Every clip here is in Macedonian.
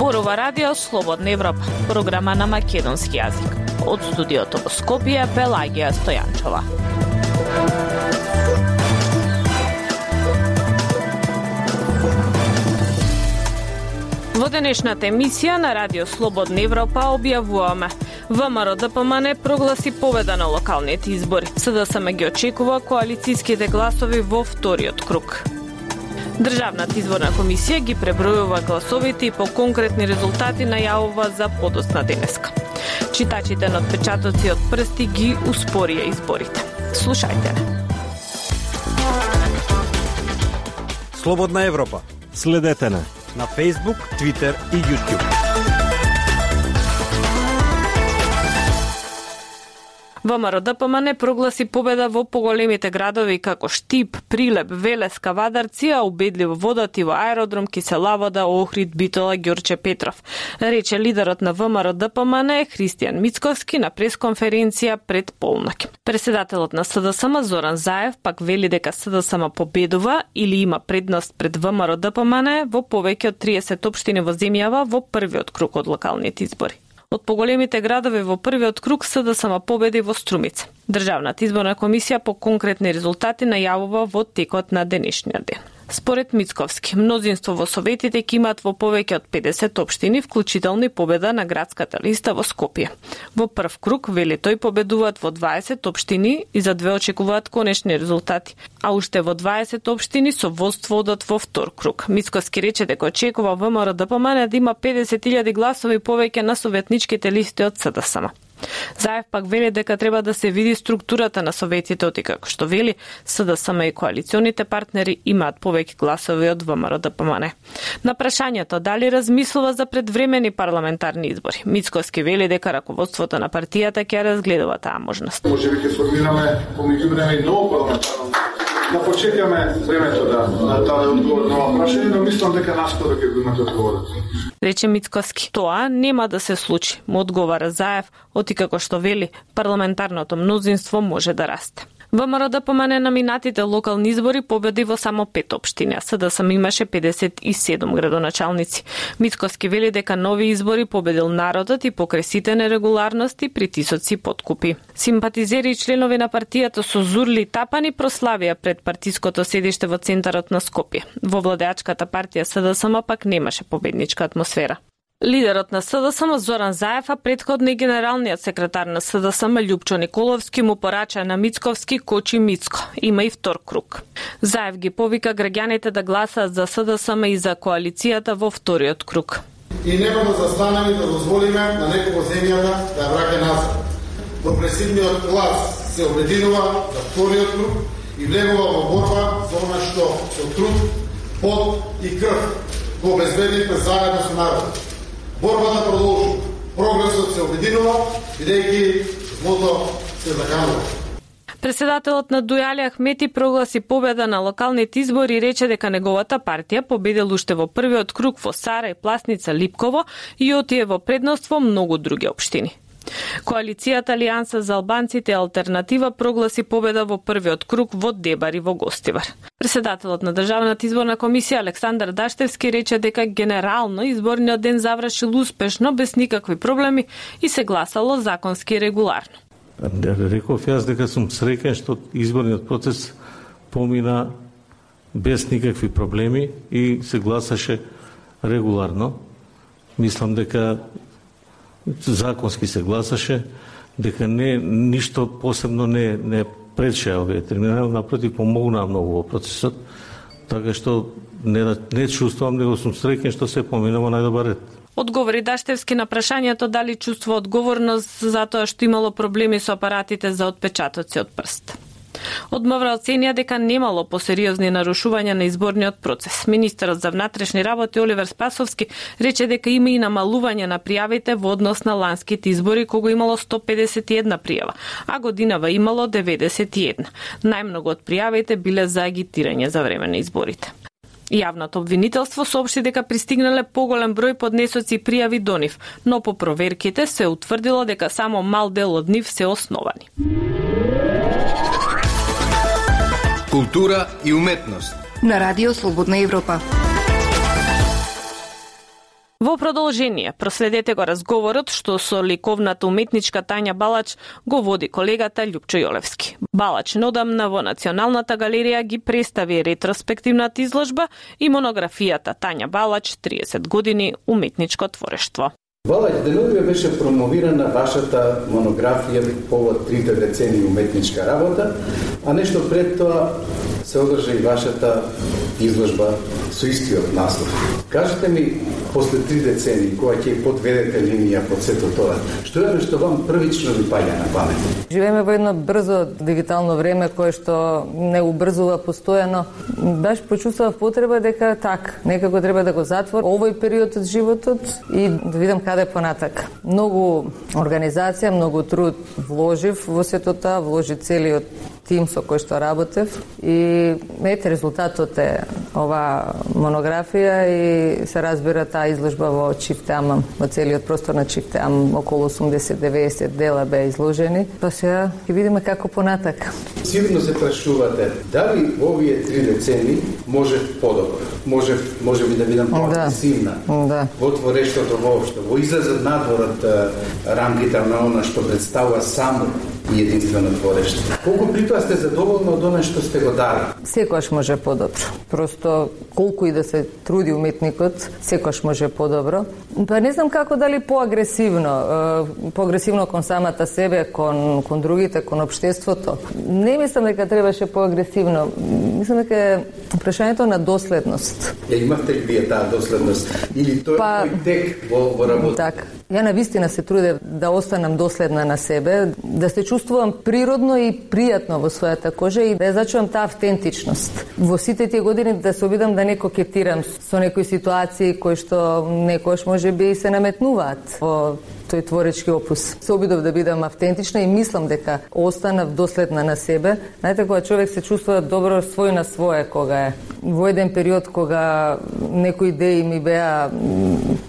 Зборува радио Слободна Европа, програма на македонски јазик. Од студиото во Скопје, Пелагија Стојанчова. Во денешната емисија на радио Слободна Европа објавуваме: ВМРО-ДПМН прогласи победа на локалните избори. СДСМ ги очекува коалицијските гласови во вториот круг. Државната изборна комисија ги пребројува гласовите и по конкретни резултати најавува за подоцна денеска. Читачите на отпечатоци од прсти ги успорија изборите. Слушајте не. Слободна Европа. Следете не на Facebook, Twitter и YouTube. ВМРО-ДПМН прогласи победа во поголемите градови како Штип, Прилеп, Велес, Кавадарци, а убедливо водат и во Аеродром, Киселавода, Охрид, Битола, Ѓорче Петров, рече лидерот на ВМРО-ДПМН Христијан Мицковски на пресконференција пред полноќ. Председателот на СДСМ Зоран Заев пак вели дека СДСМ победува или има предност пред ВМРО-ДПМН во повеќе од 30 општини во земјава во првиот круг од локалните избори. Од поголемите градови во првиот круг СДСМ победи во Струмица. Државната изборна комисија по конкретни резултати најавува во текот на денешниот ден. Според Мицковски, мнозинство во советите ќе имаат во повеќе од 50 општини, вклучително и победа на градската листа во Скопје. Во прв круг, вели тој, победуваат во 20 општини и за две очекуваат конечни резултати, а уште во 20 општини со водство одат во втор круг. Мицковски рече дека очекува ВМРО-ДПМН да има 50.000 гласови повеќе на советничките листи од СДСМ. Заев пак вели дека треба да се види структурата на советите, оти како што вели СДСМ и коалиционите партнери имаат повеќе гласови од ВМРО-ДПМН. На прашањето дали размислува за предвремени парламентарни избори, Мицковски вели дека раководството на партијата ќе разгледува таа можност. Можеби ќе формираме помеѓу време и ново парламентарно. Да почекаме времето да даде одговор на ова прашање, но мислам дека наскоро ќе го имате одговорот. Рече Мицковски. Тоа нема да се случи, му одговара Заев, оти како што вели парламентарното мнозинство може да расте. ВМРО-ДПМН на минатите локални избори победи во само 5 општини, а СДСМ имаше 57 градоначалници. Мицковски вели дека нови избори победил народот и покрај сите нерегуларности, притисоци и подкупи. Симпатизери и членови на партијата со зурли и тапани прославија пред партиското седиште во центарот на Скопје. Во владеачката партија СДСМ пак немаше победничка атмосфера. Лидерот на СДСМ Зоран Заев, а претходно и генералниот секретар на СДСМ Љупчо Николовски му порача на Мицковски кочи Мицко. Има и втор круг. Заев ги повика граѓаните да гласаат за СДСМ и за коалицијата во вториот круг. И нема да застанеме да дозволиме на некој во земјата да ја враќа назад. Прогресивниот клас се обединува за вториот круг и влегува во борба за она што со труд, пот и крв го обезбедивме заедно со народот. Борбата продолжува. Прогресот се обединува, бидејќи злото се заканува. Председателот на Дујали Ахмети прогласи победа на локалните избори и рече дека неговата партија победил уште во првиот круг во Сара и Пласница, Липково и отие во предност во многу други општини. Коалицијата Алијанса за албанците Алтернатива прогласи победа во првиот круг во Дебар и во Гостивар. Председателот на Државната изборна комисија Александар Даштевски рече дека генерално изборниот ден завршил успешно без никакви проблеми и се гласало законски и регуларно. Реков јас дека сум среќен што изборниот процес помина без никакви проблеми и се гласаше регуларно. Мислам дека законски се гласаше, дека ништо посебно не прече овие терминали, напротив помогнаа многу во процесот, така што не чувствувам, него сум среќен што се поминува најдобар ред. Одговори Даштевски на прашањето дали чувствува одговорност за тоа што имало проблеми со апаратите за отпечатоци од прст. Од МВР оценија дека немало посериозни нарушувања на изборниот процес. Министерот за внатрешни работи Оливер Спасовски рече дека има и намалување на пријавите во однос на ланските избори, кога имало 151 пријава, а годинава имало 91. Најмногу од пријавите биле за агитирање за време на изборите. Јавното обвинителство соопшти дека пристигнале поголем број поднесоци и пријави до нив, но по проверките се утврдило дека само мал дел од нив се основани. Култура и уметност на Радио Слободна Европа. Во продолжение, проследете го разговорот што со ликовната уметничка Тања Балач го води колегата Љупчо Јолевски. Балач неодамна во Националната галерија ги представи ретроспективната изложба и монографијата Тања Балач 30 години уметничко творештво. Балач, деновиве беше промовирана вашата монографија повод 3 децении уметничка работа, а нешто пред тоа се одржа и вашата изложба со истиот наслов. Кажете ми, после 3 децении, кога ќе подведете линија под сето тоа, што е што вам првично ви паѓа на памет? Живееме во едно брзо дигитално време кое што не убрзува постојано. Баш почувствував потреба дека некако треба да го затвор овој период од животот и да видам каде понатак. Многу организација, многу труд вложив во сето тоа, вложи целиот тим со кој што работев и ете резултатот е ова монографија и се разбира таа изложба во Чифтеамам, во целиот простор на Чифтеам, околу 80-90 дела беа изложени. Па сега ќе видиме како понатак. Сигурно се прашувате дали овие 3 децении може подобро, може би да видам по-агресивна во творештото воопшто, во излезот надвор од рамките на она што представува само и единствено творештво. Колку при тоа сте задоволни од она што сте го дали? Секогаш може подобро. Просто колку и да се труди уметникот, секогаш може подобро. Па не знам како дали поагресивно кон самата себе, кон другите, кон општеството. Не мислам дека требаше поагресивно. Мислам дека прашањето на доследност. Имавте ли вие таа доследност или тој тек во работа? Така. Ја навистина се трудев да останам доследна на себе, да се чувствувам природно и пријатно во својата кожа и да ја зачувам таа автентичност. Во сите тие години да се обидам да не кокетирам со некои ситуации кои што некојаш можеби се наметнуваат во тој творечки опус. Се обидов да бидам автентична и мислам дека останав доследна на себе. Знаете, кога човек се чувствува добро свој на свое, кога е во еден период кога некои идеи ми беа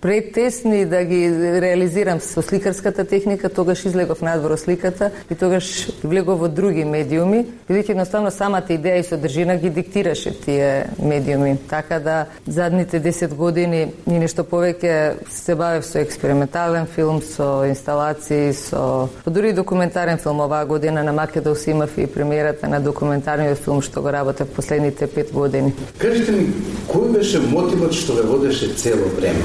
претесни да ги реализирам со сликарската техника, тогаш излегов надвор од сликата и тогаш влегов во други медиуми, бидејќи едноставно самата идеја и содржина ги диктираше тие медиуми. Така да задните 10 години и нешто повеќе се бавев со експериментален филм, со инсталации, со дури документарен филм. Оваа година на Македонија имав и премиерата на документарниот филм што го работев последните 5 години. Кажете ми, кој беше мотивот што ве водеше цело време?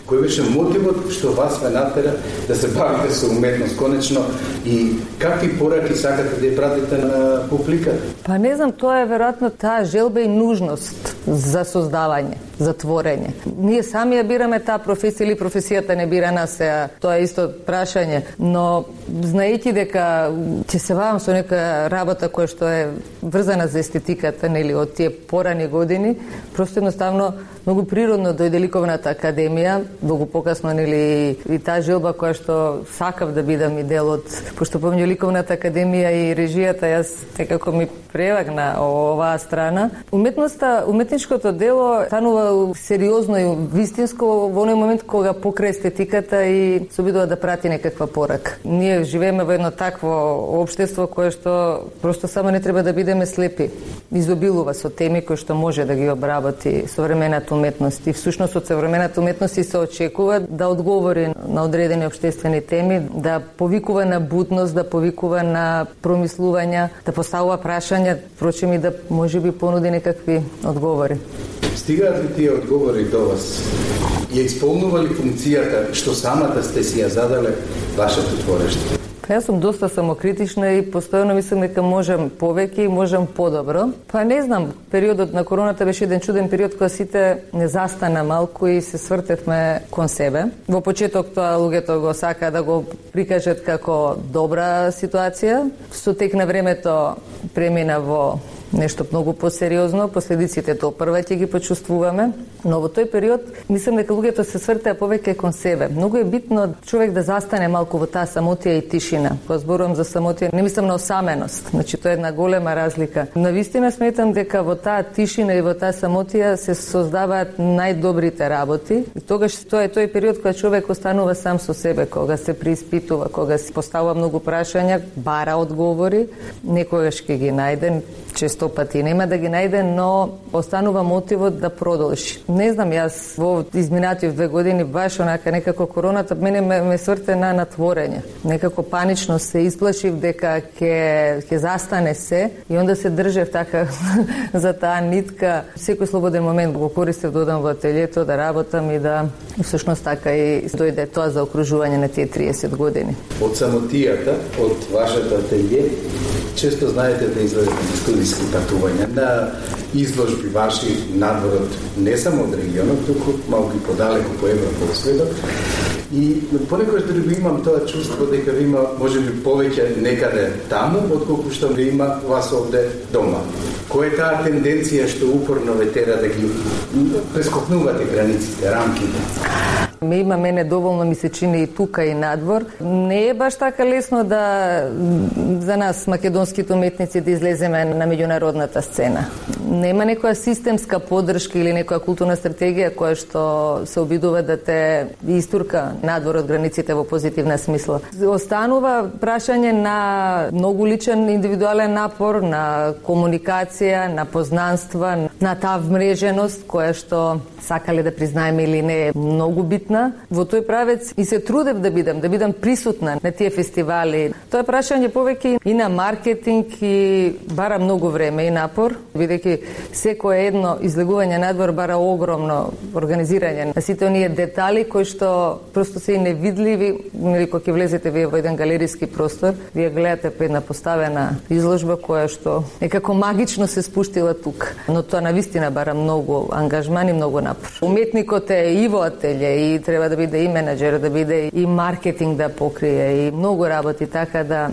Кој беше мотивот што вас ве натера да се бавите со уметност конечно и какви пораки сакате да ја пратите на публиката? Па не знам, тоа е веројатно таа желба и нужност за создавање, за творење. Ние сами ја бираме таа професија или професијата не бира нас, тоа е исто прашање, но знаејќи дека ќе се бавам со нека работа која што е врзана за естетиката, нели, од тие порани години, просто едноставно многу природно дојде ликовната академија, многу покасно, нели, и таа желба која што сакав да бидам и дел од, пошто помню ликовната академија и режијата, јас некако ми превагна оваа страна. Уметничкото дело станува сериозно и вистинско во оној момент кога покрај естетиката и се обидува да прати некаква порака. Ние живееме во едно такво општество кое што просто само не треба да бидеме слепи. Изобилува со теми кои што може да ги обработи современата уметност. И всушност од современата уметност се очекува да одговори на одредени општествени теми, да повикува на будност, да повикува на промислувања, да поставува прашања, впрочем и да можеби понуди некакви одговори. Стигаат ли тие одговори до вас? Ја исполнува ли функцијата што самата сте си ја задале вашето творештво? Јас сум доста самокритична и постојано мислам дека можам повеќе и можам подобро. Па не знам, периодот на короната беше еден чуден период кога сите не застана малку и се свртевме кон себе. Во почеток тоа луѓето го сака да го прикажат како добра ситуација. Со тек на времето премина во нешто многу посериозно, последиците тоа прва ќе ги почувствуваме, но во тој период мислам дека луѓето се свртеа повеќе кон себе. Многу е битно човек да застане малку во таа самотија и тишина. Кога зборувам за самотија, не мислам на осаменост, значи тоа е една голема разлика. Навистина сметам дека во таа тишина и во таа самотија се создаваат најдобрите работи. И тогаш тоа е тој период кога човек останува сам со себе, кога се преиспитува, кога се поставува многу прашања, бара одговори, некогаш ќе ги најде, често 100 пати, нема да ги најде, но останува мотивот да продолжи. Не знам, јас во изминатив 2 години баш онака некако короната мене ме сврте на натворење. Некако панично се исплашив дека ќе застане се и онда се држев така за таа нитка. Секој слободен момент го користев да одам во ателието, да работам и да всушност така и дојде тоа за окружување на тие 30 години. Од самотијата, од вашата ателие, често знаете да излезете на студиски патувања, на изложби ваши надворот, не само од регионот, туку малку и подалеку по Европа, по светот. И понекогаш дали го имам тоа чувство дека ви има можеби повеќе некаде таму, отколку што ви има вас овде дома. Која е таа тенденција што упорно ве тера да ги прескокнувате границите, рамките? Ме има мене доволно, ми се чини и тука и надвор. Не е баш така лесно да за нас македонските уметници да излеземе на меѓународната сцена. Нема некоја системска поддршка или некоја културна стратегија која што се обидува да те истурка надвор од границите во позитивна смисла. Останува прашање на многу личен индивидуален напор, на комуникација, на познанства, на таа вмреженост која што сакале да признаеме или не е многу битна. Во тој правец и се трудев да бидам присутна на тие фестивали. Тоа е прашање повеќе и на маркетинг и бара многу време и напор, бидејќи секое едно излегување надвор бара огромно организирање на сите оние детали кои што просто се и невидливи. Нели кога ќе влезете вие во еден галериски простор, вие гледате една поставена изложба која што некако магично се спуштила тука. Но тоа навистина бара многу ангажман и многу напор. Уметникот е и во ателје и треба да биде и менаџер, да биде и маркетинг да покрие и многу работи, така да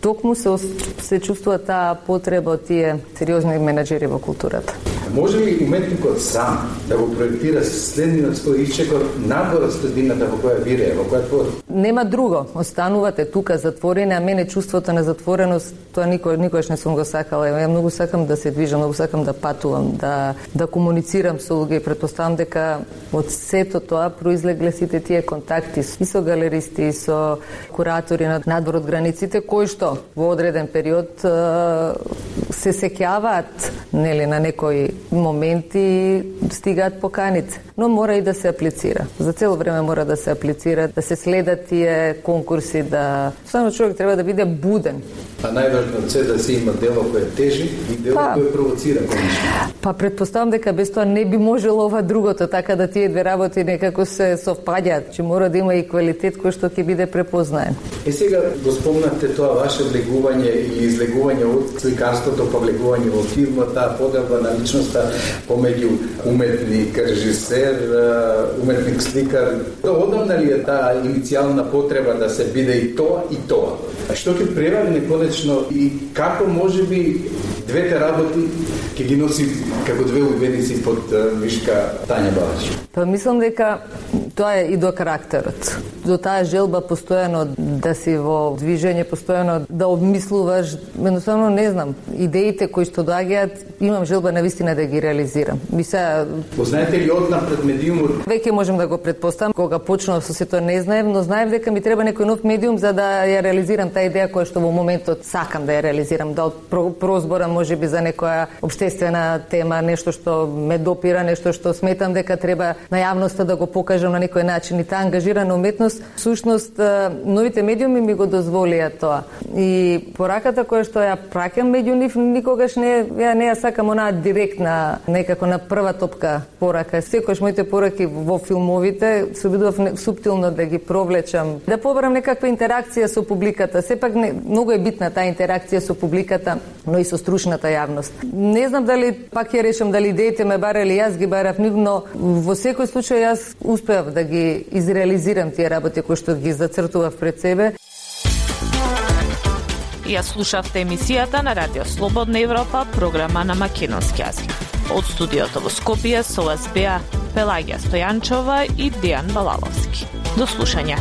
токму се чувствува таа потреба од тие сериозни менаџери во културата. Може ли уметникот сам да го проектира следниот свој исчекор надвор од средината во која вирее, во која твори? Нема друго. Останувате тука затворени, а мене чувството на затвореност тоа никогаш не сум го сакала. Ја многу сакам да се движам, многу сакам да патувам, да комуницирам со луѓе и претпоставам дека од сето тоа произлегле сите тие контакти и со галеристи, и со куратори на надвор од границите, кои што во одреден период се сеќаваат нели на некои моменти стигаат поканите, но мора и да се аплицира. За цело време мора да се аплицира, да се следат тие конкурси, да само човек треба да биде буден. А најважно е да се има дело кое тежи и дело кое провоцира конечно. Па претпоставам дека без тоа не би можело ова другото, така да тие две работи некако се совпаѓаат, че мора да има и квалитет кој што ќе биде препознаен. Сега го спомнате тоа ваше влегување и излегување од сликарството, па влегување во филмот, таа поделба на личноста помеѓу уметник, режисер, уметник, сликар. Одамна ли е таа иницијална потреба да се биде и тоа и тоа? А што ќе преварне конечно и како можеби двете работи ќе ги носи како две убедници под мишка Тања Балаш? Па мислам дека тоа е и до карактерот. До таа желба постојано да си во движење, постојано да обмислуваш, едноставно не знам, идеите кои што доаѓаат, имам желба навистина да ги реализирам. Познаете ли однапред медиумот? Веќе можам да го претпоставам, кога почнав со сето не знаев, но знаев дека ми треба некој нов медиум за да ја реализирам таа идеја која што во моментот сакам да ја реализирам, да од прозбора можеби за некоја обштествена тема, нешто што ме допира, нешто што сметам дека треба на јавноста да го покажам на некој начин и таа ангажирана уметност, всушност новите медиуми ми го дозволија тоа. И пораката која што ја праќам меѓу нив никогаш не ја сакам онаа директна, некако на прва топка порака. Секогаш моите пораки во филмовите се обидував суптилно да ги провлечам, да побарам некаква интеракција со публиката. Сепак многу е битна таа интеракција со публиката, но и со стручната јавност. Не знам дали пак ја решам дали идеите ме барали, јас ги барав нив, но во секој случај јас успеав да ги изреализирам тие работи кои што ги зацртував пред себе. Ја слушавте емисијата на Радио Слободна Европа, програма на македонски јазик. Од студиото во Скопје со вас беа Пелагија Стојанчова и Дејан Балаловски. До слушање.